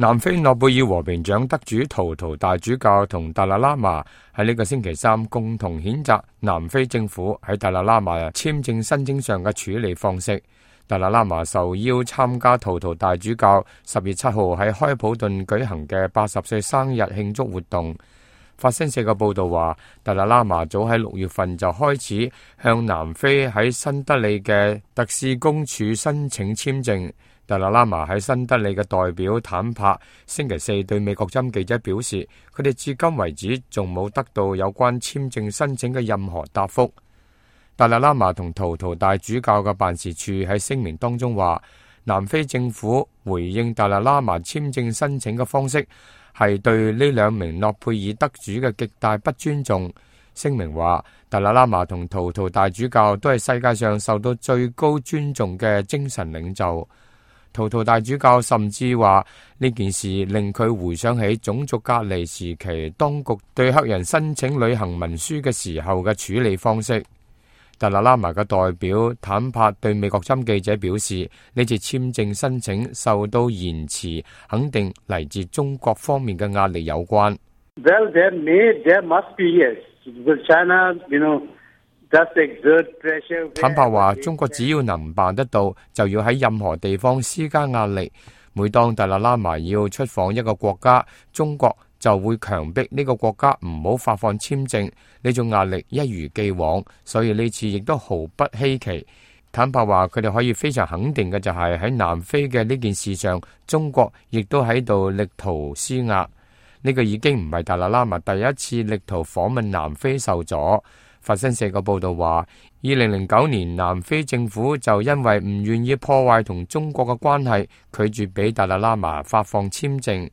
南非諾貝爾和平獎得主圖圖大主教同達賴喇嘛喺呢個星期三共同譴責南非政府喺達賴喇嘛簽證申請上嘅處理方式。達賴喇嘛受邀參加圖圖大主教10月7號喺開普敦舉行嘅80歲生日慶祝活動。法新社嘅報道話，達賴喇嘛早喺6月份就開始向南非喺新德里嘅特使公署申請簽證。達賴喇嘛喺新德里嘅代表坦帕星期四對美國之音記者表示，佢哋至今為止仲冇得到有關簽證申請嘅任何答覆。達賴喇嘛同圖圖大主教嘅辦事處喺聲明當中話，南非政府回應達賴喇嘛簽證申請嘅方式係對呢2名諾貝爾得主嘅極大不尊重。聲明話，達賴喇嘛同圖圖大主教都係世界上受到最高尊重嘅精神領袖。圖圖大主教甚至話呢件事令佢回想起種族隔離時期當局對黑人申請旅行文書嘅時候嘅處理方式。達賴喇嘛嘅代表坦帕對美國之音記者表示，呢次簽證申請受到延遲，肯定嚟自中國方面嘅壓力有關。Well, there must be, yes. Because China,坦白話，中國只要能辦得到，就要喺任何地方施加壓力。每當達賴喇嘛要出訪一個國家，中國就會強迫呢個國家唔好發放簽證。呢種壓力一如既往，所以呢次亦都毫不稀奇。坦白話，佢哋可以非常肯定嘅就係喺南非嘅呢件事上，中國亦都喺度力圖施壓。呢個已經唔係達賴喇嘛第一次力圖訪問南非受阻。法新社個報道話，2009年南非政府就因為唔願意破壞同中國嘅關係，拒絕俾達賴喇嘛發放簽證。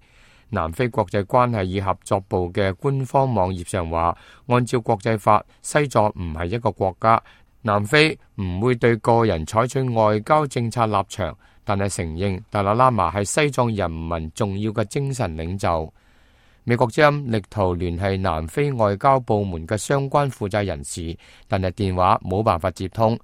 南非國際關係與合作部嘅官方網頁上話，按照國際法，西藏唔係一個國家，南非唔會對個人採取外交政策立場，但係承認達賴喇嘛係西藏人民重要嘅精神領袖。美國之音力圖聯繫南非外交部門嘅相關負責人士，但係電話冇辦法接通。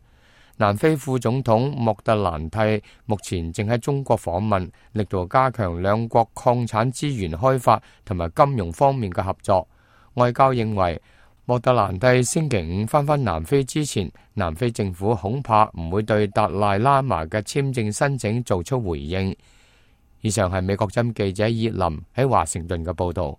南非副總統莫特蘭蒂目前正喺中國訪問，力圖加強兩國礦產資源開發同埋金融方面嘅合作。外交認為，莫特蘭蒂星期5返南非之前，南非政府恐怕唔會對達賴喇嘛嘅簽證申請做出回應。以上係美國之音記者葉林喺華盛頓嘅報道。